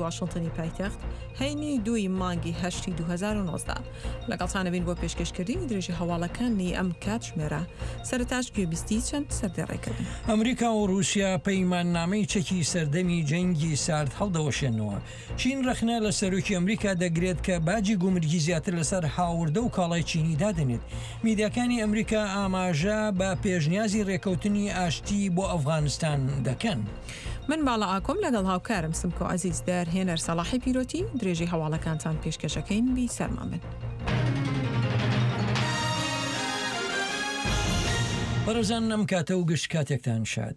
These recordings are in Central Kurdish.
واشنتنی پایتەخت، هەینی دووی مانگی هەشتی 2019. لەگەڵتانەبین بۆ پێشکەشکردنی درێژی هەواڵەکانی ئەم کاتژمێرە. سەرەتاش گوێبیستی چەند سەردێڕێک بن. ئەمریکا و ڕووسیا پەیماننامەی چەکی سەردەمی جەنگی سارد هەڵدەوەشێننەوە. چین ڕەخنە لە سەرۆکی ئەمریکا دەگرێت کە باجی گومرگی زیاتر لەسەر هاوردە و کاڵای چینی دادەنێت. میدیاکانی ئەمریکا ئاماژە بە پێشنیازی ڕێکەوتنی ئاشتی بۆ ئەفغانستان دەکەن. من باڵا ئاکۆم لەگەڵ هاوکارم سمکۆ عەزیز دەرهێنەر سەڵاحی پیرۆتی درێژەی هەواڵەکانتان پێشکەشەکەین بی سەرمان بن. بەڕێزان ئەم کاتە و گشت کاتێکتان شاد.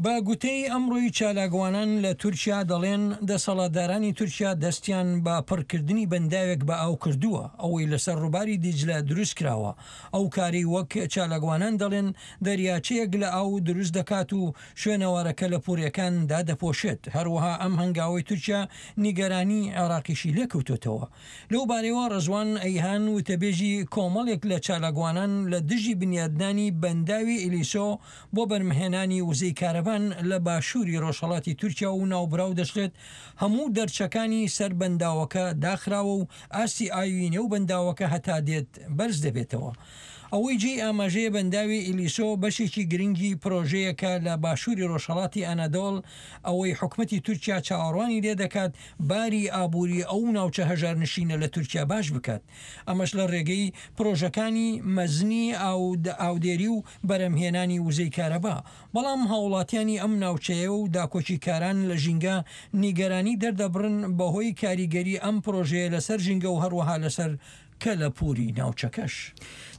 بە گوتەی ئەمڕۆی چالاکوانان لە تورکیا دەڵێن دەسەڵاتدارانی تورکیا دەستیان بە پڕکردنی بەنداوێک بە ئاو کردووە ئەوەی لەسەر ڕووباری دیجلە دروست کراوە ئەو کارەی وەک چالاکوانان دەڵێن دەریاچەیەک لە ئاو دروست دەکات و شوێنەوارە کەلەپوورییەکان دادەپۆشێت، هەروەها ئەم هەنگاوەی تورکیا نیگەرانی عێراقیشی لێکەوتۆتەوە. لەو بارەیەوە ڕەزوان ئەیهان وتەبێژی کۆمەڵێک لە چالاکوانان لە دژی بنیادنانی بەنداوی ئیلیسۆ بۆ بەرمهێنانی وزەی کارەبان لە باشووری ڕۆژهەڵاتی تورکیا و ناوبراو دەشڵێت هەموو دەرچەکانی سەر بەنداوەکە داخراوە و ئاستی ئاوی نێو بەنداوەکە هەتا دێت بەرز دەبێتەوە. ئەوەی جێی ئاماژەیە بەنداوی ئیلیسۆ بەشێکی گرنگی پرۆژەیەکە لە باشووری ڕۆژهەڵاتی ئەنەدۆڵ، ئەوەی حکومەتی تورکیا چاوەڕوانی لێدەکات باری ئابووری ئەو ناوچە هەژارنشینە لە تورکیا باش بکات، ئەمەش لە ڕێگەی پرۆژەکانی مەزنی ئاودێری و بەرهەمهێنانی وزەی کارەبا، بەڵام هاوڵاتیانی ئەم ناوچەیە و داکۆکیکاران لە ژینگە نیگەرانی دەردەبڕن بەهۆی کاریگەری ئەم پرۆژەیە لەسەر ژینگە و هەروەها لەسەر کەلەپووری ناوچەکەش.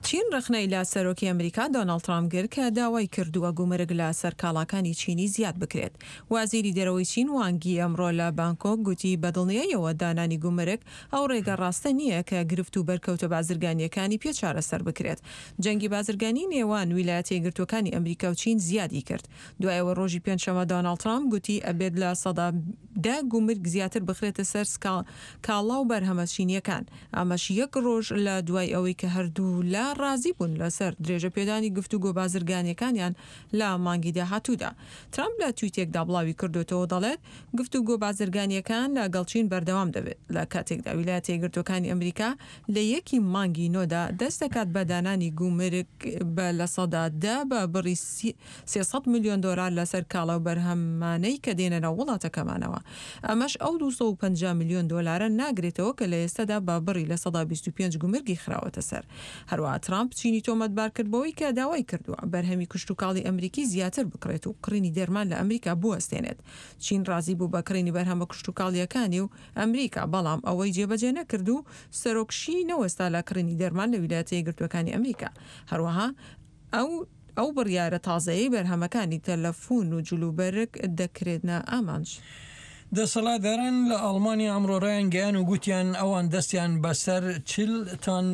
چین ڕەخنەی لە سەرۆکی ئەمریکا دۆناڵد ترامپ گرت کە داوای کردووە گومرگ لە سەر کاڵاکانی چینی زیاد بکرێت. وەزیری دەرەوەی چین وانگ یی ئەمڕۆ لە بانکۆک گوتی بە دڵنیاییەوە دانانی گومرگ ئەو ڕێگە ڕاستە نییە کە گرفت و بەرکەوتە بازرگانییەکانی پێ چارەسەر بکرێت. جەنگی بازرگانی نێوان ویلایەتە یەکگرتووەکانی ئەمریکا و چین زیادی کرد دوای ئەوەی ڕۆژی پێنجشەممە دۆناڵد ترامپ گوتی ئەبێت 10% گومرگ زیاتر بخرێتە سەر کاڵا و بەرهەمە چینییەکان. ئەمەش یەک ڕۆژ لە دوای ئەوەی کە هەردوولا ڕازی بوون لەسەر درێژەپێدانی گفتوگۆ بازرگانییەکانیان لە مانگی داهاتوودا. ترامپ لە تویتێکدا بڵاوی کردۆتەوە دەڵێت، گفتوگۆ بازرگانییەکان لەگەڵ چین بەردەوام دەبێت، لە کاتێکدا ویلایەتە یەکگرتووەکانی ئەمریکا لە یەکی مانگی نۆدا دەست دەکات بە دانانی گومرگ بە 10% بە بڕی 300 ملیۆن دۆلار لەسەر کاڵا و بەرهەمانەی کە دێنە ناو وڵاتەکەمانەوە. ئەمەش ئەو 250 ملیۆن دۆلارە ناگرێتەوە کە لە ئێستادا بە بڕی 25% گومرگی خراوەتە سەر. هەروەها ترامپ چینی تۆمەتبار کرد بەوەی کە داوای کردووە بەرهەمی کشتوکاڵی ئەمریکی زیاتر بکڕێت و کڕینی دەرمان لە ئەمریکا بوەستێنێت. چین ڕازی بوو بە کڕینی بەرهەمە کشتوکاڵییەکانی و ئەمریکا، بەڵام ئەوەی جێبەجێ نەکرد و سەرۆک شی نەوەستا لە کڕینی دەرمان لە ویلایەتە یەکگرتووەکانی ئەمریکا. هەروەها ئەو ئەو بڕیارە تازەیەی بەرهەمەکانی تەلەفوون و جلوبەرگ دەکرێنە ئامانج. دەسەڵاتداران لە ئاڵمانیا ئەمڕۆ ڕایانگەیان و گوتیان ئەوان دەستیان بەسەر 40 تەن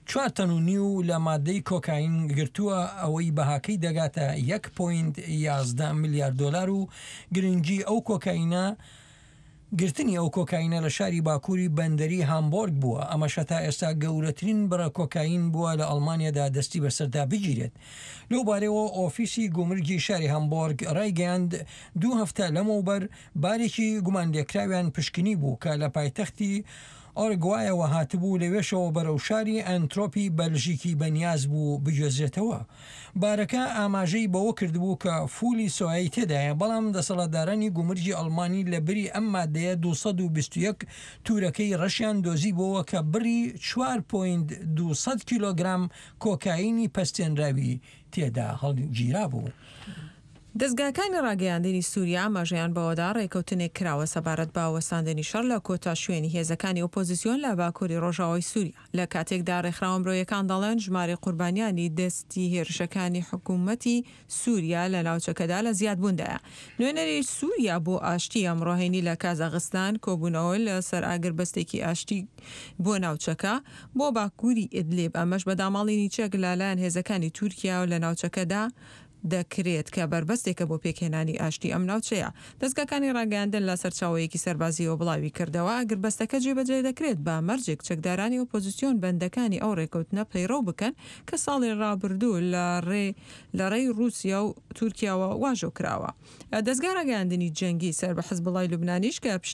چوار تەن و نیو لە مادەی کۆکاین گرتووە ئەوەی بەهاکەی دەگاتە یەک پۆینت 11 ملیار دۆلار و گرنگی ئەو کۆکاینە گرتنی ئەو کۆکاینە لە شاری باکووری بەندەری هامبۆرگ بووە، ئەمەش هەتا ئێستا گەورەترین بڕە کۆکاین بووە لە ئەڵمانیادا دەستی بەسەردا بگیرێت. لەو بارەیەوە ئۆفیسی گومرگی شاری هامبۆرگ ڕایگەیاند، دوو هەفتە لەمەوبەر بارێکی گومانلێکراویان پشکنی بوو کە لە پایتەختی ئۆرگوایەوە هاتبوو، لەوێشەوە بەرەو شاری ئەنترۆپی بەلژیکی بەنیاز بوو بگوێزرێتەوە. بارەکە ئاماژەی بەوە کردبوو کە فولی سۆیای تێدایە، بەڵام دەسەڵاتدارانی گومرگی ئەڵمانی لە بری ئەم مادەیە 221 تورەکەی ڕەشیان دۆزیبۆوە کە بڕی چوار پۆینت 200 کیلۆگرام کۆکاینی پەستێنراوی تێدا هەڵگیرابوو. دەزگاکانی ڕاگەیاندنی سوریا ئاماژەیان بەوەدا ڕێکەوتنێک کراوە سەبارەت بە وەستاندنی شەڕ لە کۆتا شوێنی هێزەکانی ئۆپۆزیسیۆن لە باکوری ڕۆژاوای سوریا. لە کاتێکدا ڕێکخراوە مرۆیەکان دەڵێن ژمارەی قوربانیانی دەستی هێرشەکانی حکومەتی سوریا لە ناوچەکەدا لە زیادبووندایە. نوێنەری سوریا بۆ ئاشتی ئەمڕۆ هەینی لە کازاخستان کۆبوونەوە لەسەر ئاگربەستێکی ئاشتی بۆ ناوچەکە بۆ باکوری ئیدلیب ئەمەش بە داماڵینی چەک لەلایەن هێزەکانی تورکیا لە ناوچەکەدا. دەکرێت کە بەربەستێکە بۆ پێکهێنانی ئاشتی ئەم ناوچەیە. دەزگاکانی ڕاگەیاندن لە سەرچاوەیەکی سەربازییەوە بڵاویکردەوە، ئاگربەستەکە جێبەجێ دەکرێت بە مەرجێک چەکدارانی ئۆپۆزسیۆن بەندەکانی ئەو ڕێکەوتنە پەیڕەو بکەن کە ساڵی ڕابردوو لە ڕێ لە ڕێی ڕووسیا و تورکیاوە واژۆ کراوە. دەزگای ڕاگەیاندنی جەنگی سەر بە حزبوڵای لوبنانیش کە پشتی.